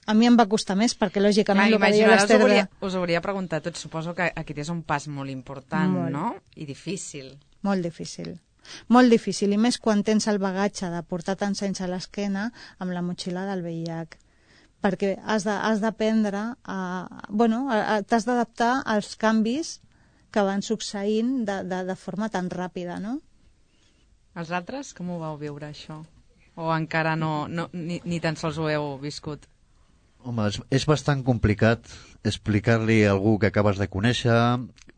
A mi em va costar més, perquè lògicament... Clar, el que deia l'Esther... Us, hauria, us hauria preguntat tot, suposo que aquest és un pas molt important, molt. No? I difícil. Molt difícil. Molt difícil, i més quan tens el bagatge de portar tants anys a l'esquena amb la motxilla del V I H. Perquè has d'aprendre a... Bueno, t'has d'adaptar als canvis que van succeint de, de, de forma tan ràpida, no? Els altres, com ho vau viure, això? O encara no, no ni, ni tan sols ho heu viscut? Home, és, és bastant complicat explicar-li a algú que acabes de conèixer,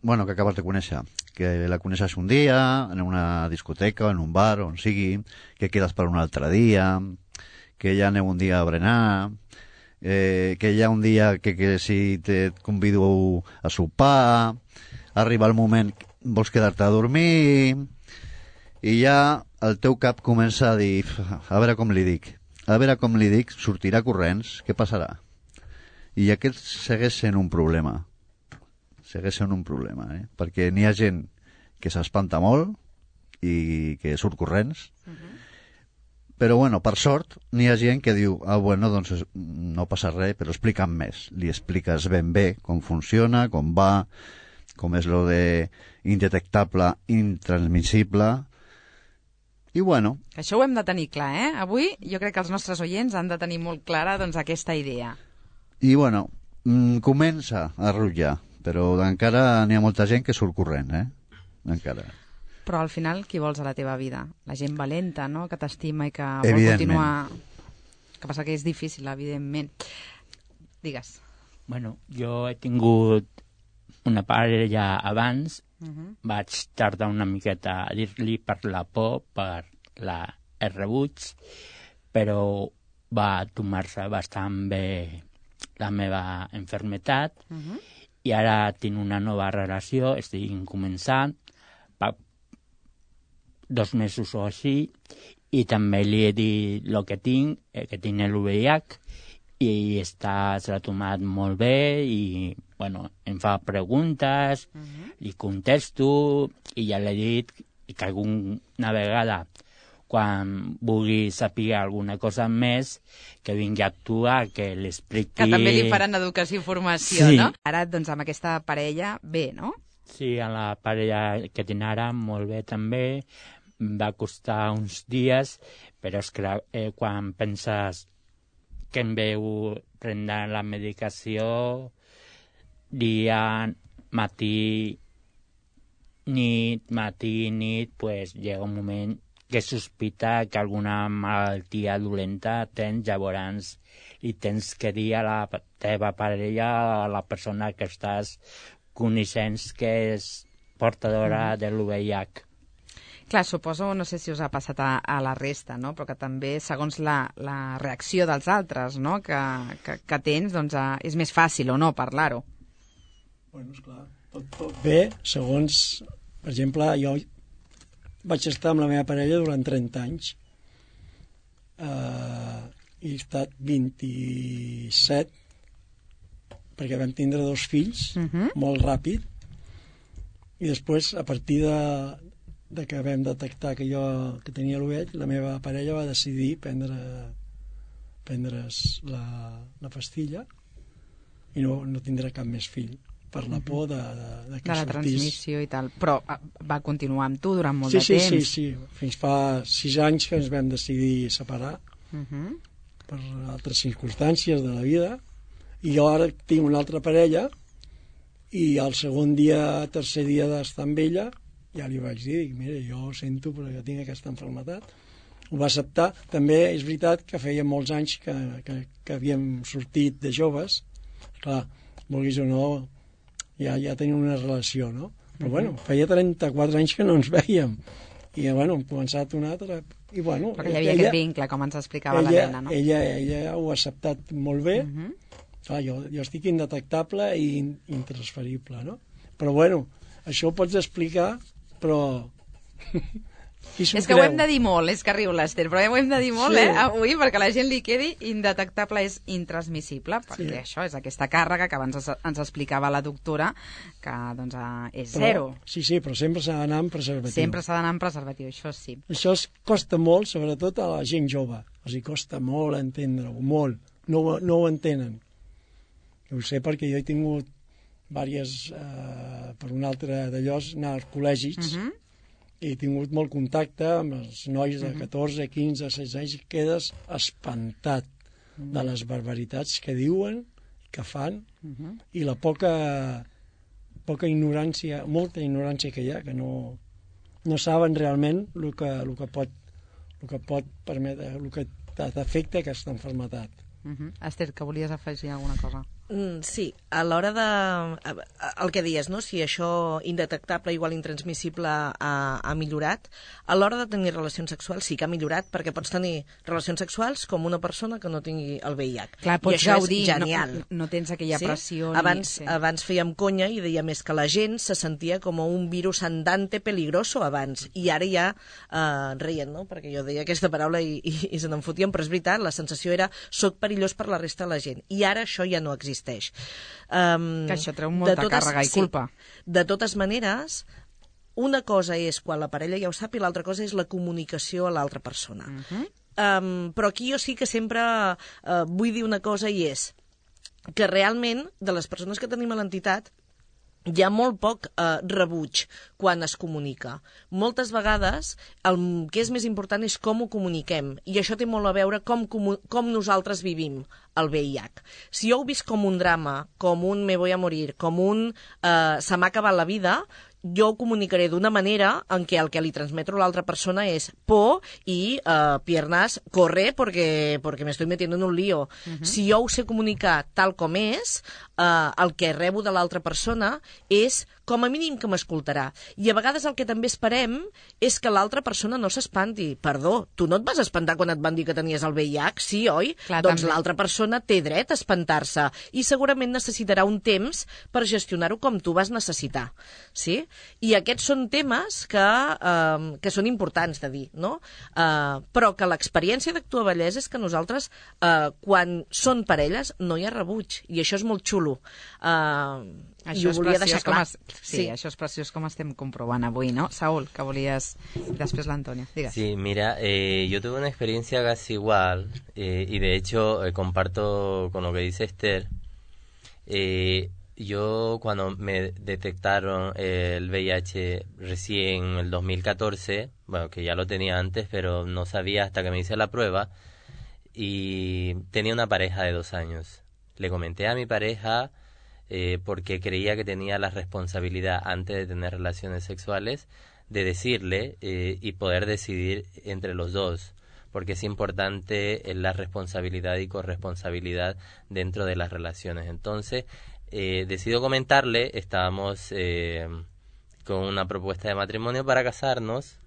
bueno, que acabes de conèixer, que la coneixes un dia, en una discoteca, en un bar, on sigui, que quedes per un altre dia, que ja aneu un dia a berenar, eh, que hi ha un dia que, que si te convido a sopar, arriba el moment, vols quedar-te a dormir, i ja el teu cap comença a dir, a veure com li dic, a veure com li dic, sortirà corrents, què passarà? I aquest segueix sent un problema. Segueix sent un problema, eh? Perquè n'hi ha gent que s'espanta molt i que surt corrents, uh-huh. Però, bueno, per sort, n'hi ha gent que diu, ah, bueno, doncs no passa res, però explica'm més. Li expliques ben bé com funciona, com va, com és lo de indetectable, intransmissible. I bueno... Això ho hem de tenir clar, eh? Avui jo crec que els nostres oients han de tenir molt clara doncs, aquesta idea. I bueno, mm, comença a rutllar, però encara n'hi ha molta gent que surt corrent, eh? Encara. Però al final, qui vols a la teva vida? La gent valenta, no?, que t'estima i que vol continuar... Que passa que és difícil, evidentment. Digues. Bueno, jo he tingut una parella abans. Uh-huh. Vaig tardar una miqueta a dir-li per la por, per la, el rebuig, però va tomar-se bastant bé la meva enfermetat. Uh-huh. I ara tinc una nova relació, estic començant, fa dos mesos o així, i també li he dit el que tinc, eh, que tinc el V I H, i està, se l'ha tomat molt bé, i bueno, em fa preguntes, uh-huh. li contesto, i ja l'he dit que alguna vegada, quan vulgui saber alguna cosa més, que vingui a actuar, que l'expliqui... Que també li faran educació i formació, sí. No? Ara, doncs, amb aquesta parella, bé, no? Sí, a la parella que tinc ara, molt bé també. Va costar uns dies, però és clar, eh, quan penses que em veu prendre la medicació dia, matí, nit, matí, nit, pues llega un moment que sospita que alguna malaltia dolenta tens, llavors li tens que dir a la teva parella, a la persona que estàs coneixent que és portadora mm. de l'U V I H. Clar, suposo, no sé si us ha passat a, a la resta, no? Però que també, segons la, la reacció dels altres, no?, que, que, que tens, doncs a, és més fàcil o no parlar-ho. Bueno, esclar, tot, tot bé, segons, per exemple, jo vaig estar amb la meva parella durant trenta anys. Uh, i he estat vint-i-set, perquè vam tindre dos fills, uh-huh. molt ràpid, i després, a partir de... de que vam detectar que jo que tenia l'U V I H, la meva parella va decidir prendre, prendre's la, la pastilla i no, no tindrà cap més fill per la por de, de, de que de la sortís. transmissió i tal. Però va continuar amb tu durant molt sí, de sí, temps. Sí, sí, sí. Fins fa sis anys que ens vam decidir separar Uh -huh. per altres circumstàncies de la vida, i jo ara tinc una altra parella i el segon dia, tercer dia d'estar amb ella, ja li vaig dir, dic, mira, jo sento perquè tinc aquesta malaltia. Ho va acceptar. També és veritat que feia molts anys que, que, que havíem sortit de joves. Clar, vulguis o no, ja, ja tenim una relació, no? Però uh-huh. bueno, feia trenta-quatre anys que no ens vèiem. I bueno, hem començat una altra... I, bueno, perquè hi havia ella, aquest vincle, com ens explicava ella, l'Helena, no? Ella, ella ho ha acceptat molt bé. Uh-huh. Clar, jo, jo estic indetectable i in, intransferible, no? Però bueno, això ho pots explicar, però... És que ho hem de dir molt, és que riu l'Ester, però ho hem de dir molt, sí. eh, avui, perquè a la gent li quedi indetectable és intransmissible, perquè sí. això és aquesta càrrega que abans ens explicava la doctora, que doncs és però, zero. Sí, sí, però sempre s'ha d'anar amb preservatiu. Sempre s'ha d'anar amb preservatiu, això sí. Això es costa molt, sobretot a la gent jove. Els hi costa molt entendre-ho, molt. No, no ho entenen. Ho sé perquè jo he tingut diverses, eh, per un altre d'allò, anar als col·legis, uh-huh. i he tingut molt contacte amb els nois de catorze, quinze, setze anys, i quedes espantat uh-huh. de les barbaritats que diuen, que fan, uh-huh. i la poca, poca ignorància, molta ignorància que hi ha, que no, no saben realment el que, el que pot, el que pot permetre, el que t'afecta aquesta malaltia. Uh-huh. Esther, que volies afegir alguna cosa? Mm, sí, a l'hora de... El que dies, no? Si això indetectable igual intransmissible ha, ha millorat, a l'hora de tenir relacions sexuals sí que ha millorat, perquè pots tenir relacions sexuals com una persona que no tingui el V I H. Clar, pots I això gaudir, és genial. No, no tens aquella sí? pressió. Abans, ni... sí. abans fèiem conya i deia més que la gent se sentia com un virus andante peligroso abans, i ara ja eh, reien, no? Perquè jo deia aquesta paraula i, i, i se n'en fotien, però és veritat, la sensació era soc perillós per la resta de la gent, i ara això ja no existeix. Um, que això treu molta totes, càrrega i culpa. Sí, de totes maneres, una cosa és quan la parella ja ho sap i l'altra cosa és la comunicació a l'altra persona. Uh-huh. um, però aquí jo sí que sempre uh, vull dir una cosa, i és que realment de les persones que tenim a l'entitat hi ha molt poc eh, rebuig quan es comunica. Moltes vegades el que és més important és com ho comuniquem, i això té molt a veure com, com, com nosaltres vivim el V I H. Si jo ho visc com un drama, com un me voy a morir, com un eh, se m'ha acabat la vida, jo ho comunicaré d'una manera en què el que li transmeto a l'altra persona és por i eh, piernas, corre porque, porque me estoy metiendo en un lío. Uh-huh. Si jo ho sé comunicar tal com és, eh, el que rebo de l'altra persona és com a mínim que m'escoltarà. I a vegades el que també esperem és que l'altra persona no s'espanti. Perdó, tu no et vas espantar quan et van dir que tenies el V I H? Sí, oi? Clar, doncs també. L'altra persona té dret a espantar-se i segurament necessitarà un temps per gestionar-ho com tu vas necessitar. Sí? I aquests són temes que, eh, que són importants de dir, no? Eh, però que l'experiència d'Actua Vallès és que nosaltres, eh, quan són parelles, no hi ha rebuig. I això és molt xulo. Eh, I ho volia deixar clar. Es... Sí, sí, això és preciós com estem comprovant avui, ¿no? Saúl, que volies... Després l'Antonio, digues. Sí, mira, eh, yo tuve una experiencia casi igual eh, y de hecho eh, comparto con lo que dice Esther. Eh, yo cuando me detectaron eh, el V I H recién en el dos mil catorce, bueno, que ya lo tenía antes, pero no sabía hasta que me hice la prueba, y tenía una pareja de dos años. Le comenté a mi pareja... Eh, porque creía que tenía la responsabilidad antes de tener relaciones sexuales de decirle eh, y poder decidir entre los dos, porque es importante eh, la responsabilidad y corresponsabilidad dentro de las relaciones. Entonces eh, decido comentarle, estábamos eh, con una propuesta de matrimonio para casarnos.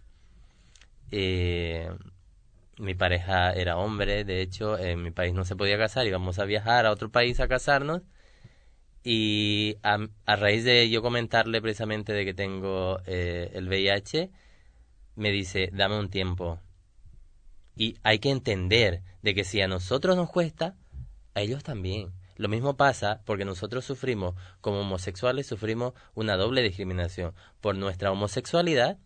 eh, mi pareja era hombre, de hecho en mi país no se podía casar, íbamos a viajar a otro país a casarnos. Y a, a raíz de yo comentarle precisamente de que tengo eh, el V I H, me dice, dame un tiempo. Y hay que entender de que si a nosotros nos cuesta, a ellos también. Lo mismo pasa porque nosotros sufrimos, como homosexuales, sufrimos una doble discriminación por nuestra homosexualidad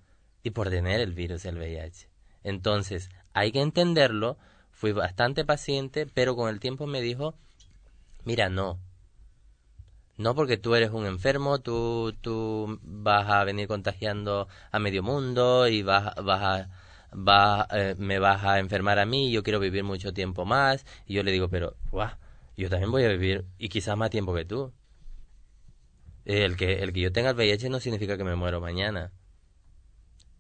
y por tener el virus del V I H. Entonces, hay que entenderlo, Fui bastante paciente, pero con el tiempo me dijo, mira, no. No porque tú eres un enfermo, tú, tú vas a venir contagiando a medio mundo y vas, vas a, vas, eh, me vas a enfermar a mí, yo quiero vivir mucho tiempo más. Y yo le digo, pero, guau, yo también voy a vivir y quizás más tiempo que tú. El que, el que yo tenga el V I H no significa que me muero mañana.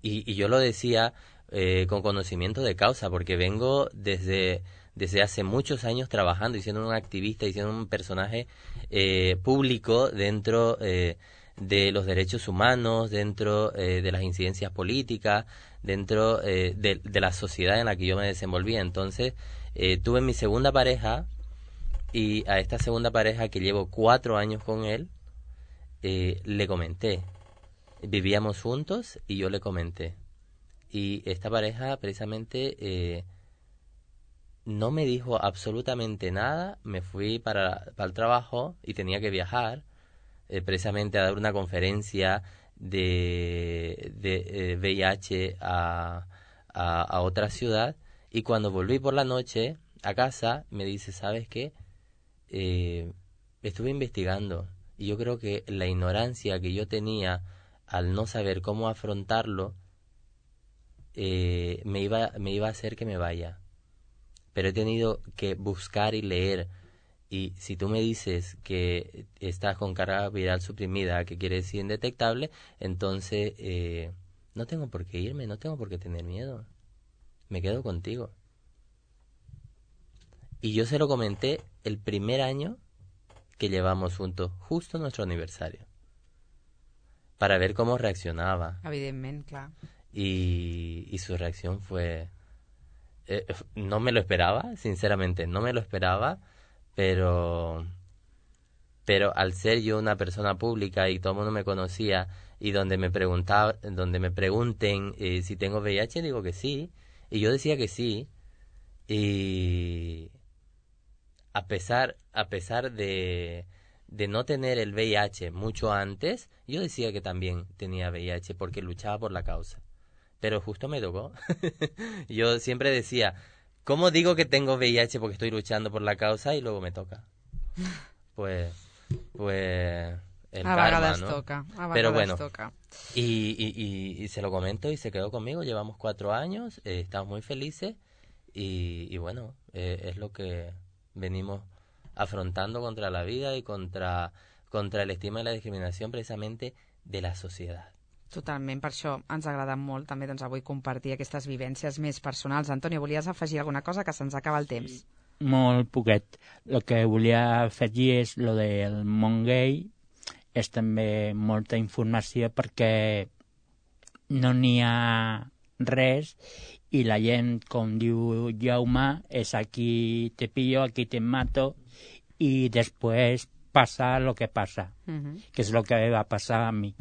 Y, y yo lo decía eh, con conocimiento de causa, porque vengo desde... desde hace muchos años trabajando y siendo un activista y siendo un personaje eh, público dentro eh, de los derechos humanos, dentro eh, de las incidencias políticas, dentro eh, de, de la sociedad en la que yo me desenvolvía. Entonces, eh, tuve mi segunda pareja y a esta segunda pareja, que llevo cuatro años con él, eh, le comenté. Vivíamos juntos y yo le comenté. Y esta pareja, precisamente... Eh, no me dijo absolutamente nada, me fui para, para el trabajo y tenía que viajar eh, precisamente a dar una conferencia de, de eh, V I H a, a, a otra ciudad, y cuando volví por la noche a casa me dice, ¿sabes qué? Eh, estuve investigando y yo creo que la ignorancia que yo tenía al no saber cómo afrontarlo eh, me iba, me iba a hacer que me vaya. Pero he tenido que buscar y leer, y si tú me dices que estás con carga viral suprimida, que quiere decir indetectable, entonces eh, no tengo por qué irme, no tengo por qué tener miedo, me quedo contigo. Y yo se lo comenté el primer año que llevamos juntos, justo nuestro aniversario, para ver cómo reaccionaba. Evidentment, clar. Y, y su reacción fue... Eh, no me lo esperaba, sinceramente, no me lo esperaba, pero pero al ser yo una persona pública y todo el mundo me conocía, y donde me preguntaba, donde me pregunten eh, si tengo V I H, digo que sí, y yo decía que sí, y a pesar a pesar de de no tener el V I H mucho antes, yo decía que también tenía V I H porque luchaba por la causa. Pero justo me tocó. Yo siempre decía, ¿cómo digo que tengo V I H porque estoy luchando por la causa y luego me toca? Pues, pues el a karma, ¿no? Toca, a Pero bueno, toca. Y, y, y, y se lo comento y se quedó conmigo. Llevamos cuatro años, eh, estamos muy felices y, y bueno, eh, es lo que venimos afrontando contra la vida y contra, contra el estigma y la discriminación precisamente de la sociedad. Totalment, per això ens ha agradat molt també doncs, avui compartir aquestes vivències més personals. Antonio, volies afegir alguna cosa, que se'ns acaba el temps? Molt poquet. El que volia afegir és lo del món gay, és també molta informació perquè no n'hi ha res i la gent, com diu Jaume, és aquí te pillo, aquí te mato i després passa lo que passa, uh-huh. que és lo que va passar a mi.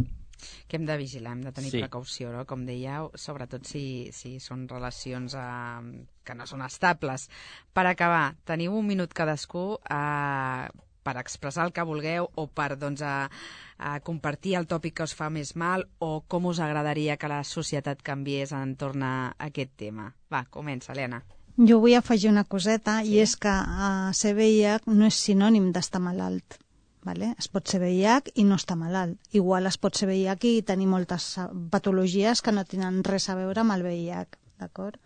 Que hem de vigilar, hem de tenir sí. precaució, no? Com dèieu, sobretot si, si són relacions eh, que no són estables. Per acabar, teniu un minut cadascú eh, per expressar el que vulgueu o per doncs, a, a compartir el tòpic que us fa més mal o com us agradaria que la societat canviés entorn a aquest tema. Va, comença, Helena. Jo vull afegir una coseta, sí. i és que uh, ser V I H no és sinònim d'estar malalt. Vale? Es pot ser V I H i no estar malalt. Igual es pot ser V I H i tenir moltes patologies que no tenen res a veure amb el V I H, d'acord?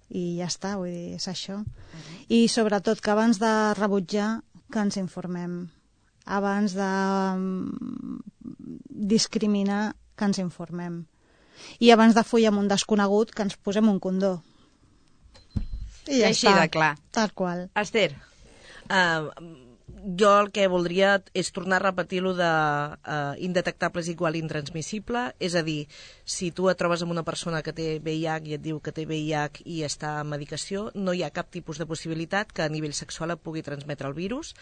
I ja està, vull dir, és això. Uh-huh. I sobretot que abans de rebutjar, que ens informem. Abans de discriminar, que ens informem. I abans de follar amb un desconegut, que ens posem un condó. I ja així està. De clar. Tal qual. Esther. Uh, jo el que voldria és tornar a repetir lo de uh, indetectable és igual intransmissible, és a dir, si tu et trobes amb una persona que té V I H i et diu que té V I H i està en medicació, no hi ha cap tipus de possibilitat que a nivell sexual et pugui transmetre el virus.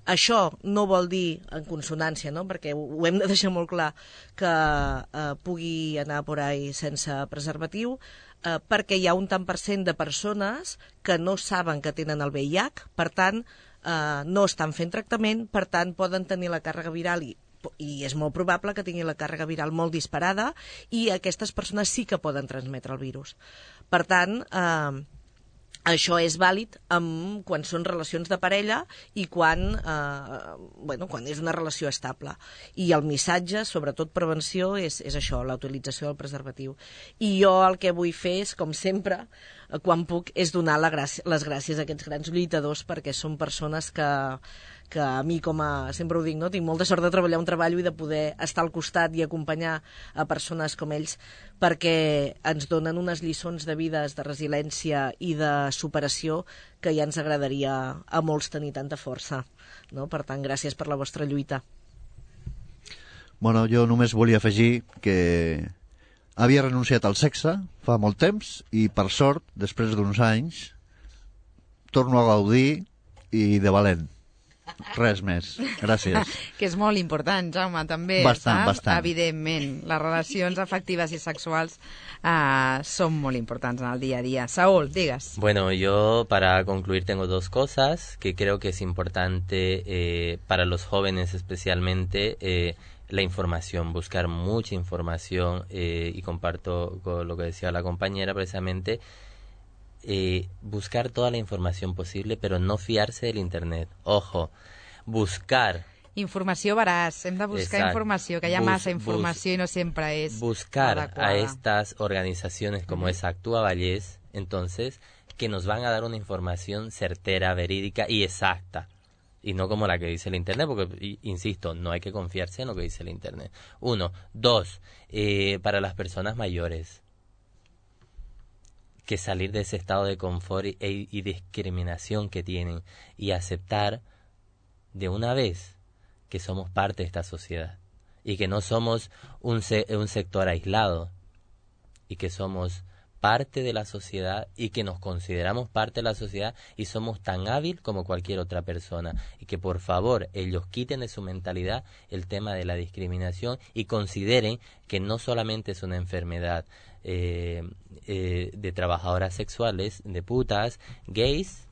Això no vol dir, en consonància, no? Perquè ho, ho hem de deixar molt clar, que uh, pugui anar por ahí sense preservatiu, uh, perquè hi ha un tant per cent de persones que no saben que tenen el V I H, per tant, Uh, no estan fent tractament, per tant poden tenir la càrrega viral i, i és molt probable que tinguin la càrrega viral molt disparada i aquestes persones sí que poden transmetre el virus. Per tant, uh, això és vàlid amb, quan són relacions de parella i quan, eh, bueno, quan és una relació estable. I el missatge, sobretot prevenció, és, és això, la utilització del preservatiu. I jo el que vull fer és, com sempre, quan puc, és donar la gràcia, les gràcies a aquests grans lluitadors, perquè són persones que, que a mi, com a, sempre ho dic, no? Tinc molta sort de treballar un treball i de poder estar al costat i acompanyar a persones com ells, perquè ens donen unes lliçons de vides, de resiliència i de superació que ja ens agradaria a molts tenir tanta força, no? Per tant, gràcies per la vostra lluita. Bueno, jo només volia afegir que havia renunciat al sexe fa molt temps i, per sort, després d'uns anys, torno a gaudir i de valent. Res més. Gràcies. Que és molt important, Jaume, també. Bastant, saps? bastant. Evidentment, les relacions afectives y sexuals uh, son muy importantes en el día a día. Saúl, digas. Bueno, yo para concluir tengo dos cosas que creo que es importante eh, para los jóvenes especialmente, eh, la información, buscar mucha información eh, y comparto con lo que decía la compañera precisamente. Eh, buscar toda la información posible, pero no fiarse del internet. Ojo, buscar. Informació veraç, hem de buscar Exacto. informació, que hi ha Bus, massa informació bus, i no sempre és buscar adequada. a estas organizaciones como es Actúa Vallés, entonces, que nos van a dar una información certera, verídica y exacta. Y no como la que dice el internet, porque, insisto, no hay que confiarse en lo que dice el internet. Uno. Dos, eh, para las personas mayores, que salir de ese estado de confort y, y discriminación que tienen y aceptar de una vez que somos parte de esta sociedad y que no somos un, se, un sector aislado y que somos parte de la sociedad y que nos consideramos parte de la sociedad y somos tan hábil como cualquier otra persona y que por favor ellos quiten de su mentalidad el tema de la discriminación y consideren que no solamente es una enfermedad eh, eh, de trabajadoras sexuales, de putas, gays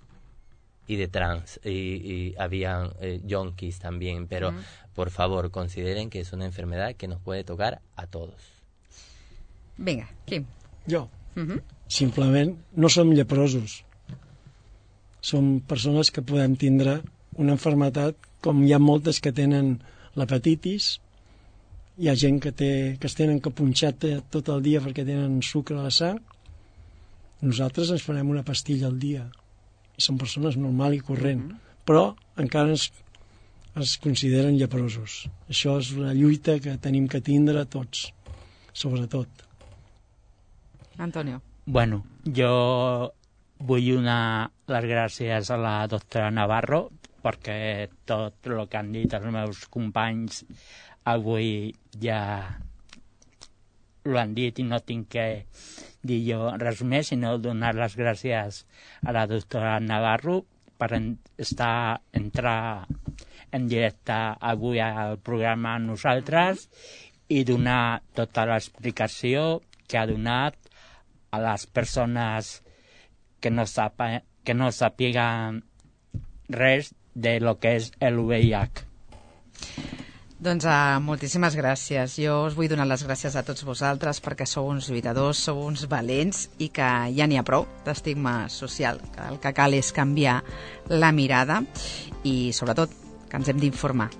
y de trans, y, y habían eh, yonkis también, pero mm. por favor consideren que es una enfermedad que nos puede tocar a todos. Vinga, Quim. Jo. Uh-huh. Simplement no som lleprosos. Som persones que podem tindre una enfermetat, com hi ha moltes que tenen l'hepatitis, hi ha gent que, té, que es tenen que punxar tot el dia perquè tenen sucre a la sang. Nosaltres ens farem una pastilla al dia. I són persones normal i corrent. Uh-huh. Però encara ens, es consideren lleprosos. Això és una lluita que tenim que tindre tots, sobretot. Antonio. Bueno, jo vull donar les gràcies a la doctora Navarro perquè tot el que han dit els meus companys avui ja ho han dit i no tinc que dir jo res més, sinó donar les gràcies a la doctora Navarro per estar, entrar en directe avui al programa amb nosaltres i donar tota l'explicació que ha donat a les persones que no, sapa, que no sàpiguen res de lo que és el V I H. Doncs uh, moltíssimes gràcies. Jo us vull donar les gràcies a tots vosaltres perquè sou uns lluitadors, sou uns valents i que ja n'hi ha prou d'estigma social, que el que cal és canviar la mirada i sobretot que ens hem d'informar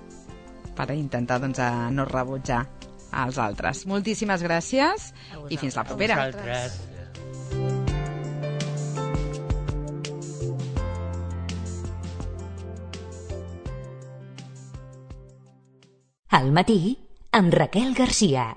per intentar doncs, a no rebutjar als altres. Moltíssimes gràcies i fins la propera. A vosaltres. Al matí, amb Raquel Garcia.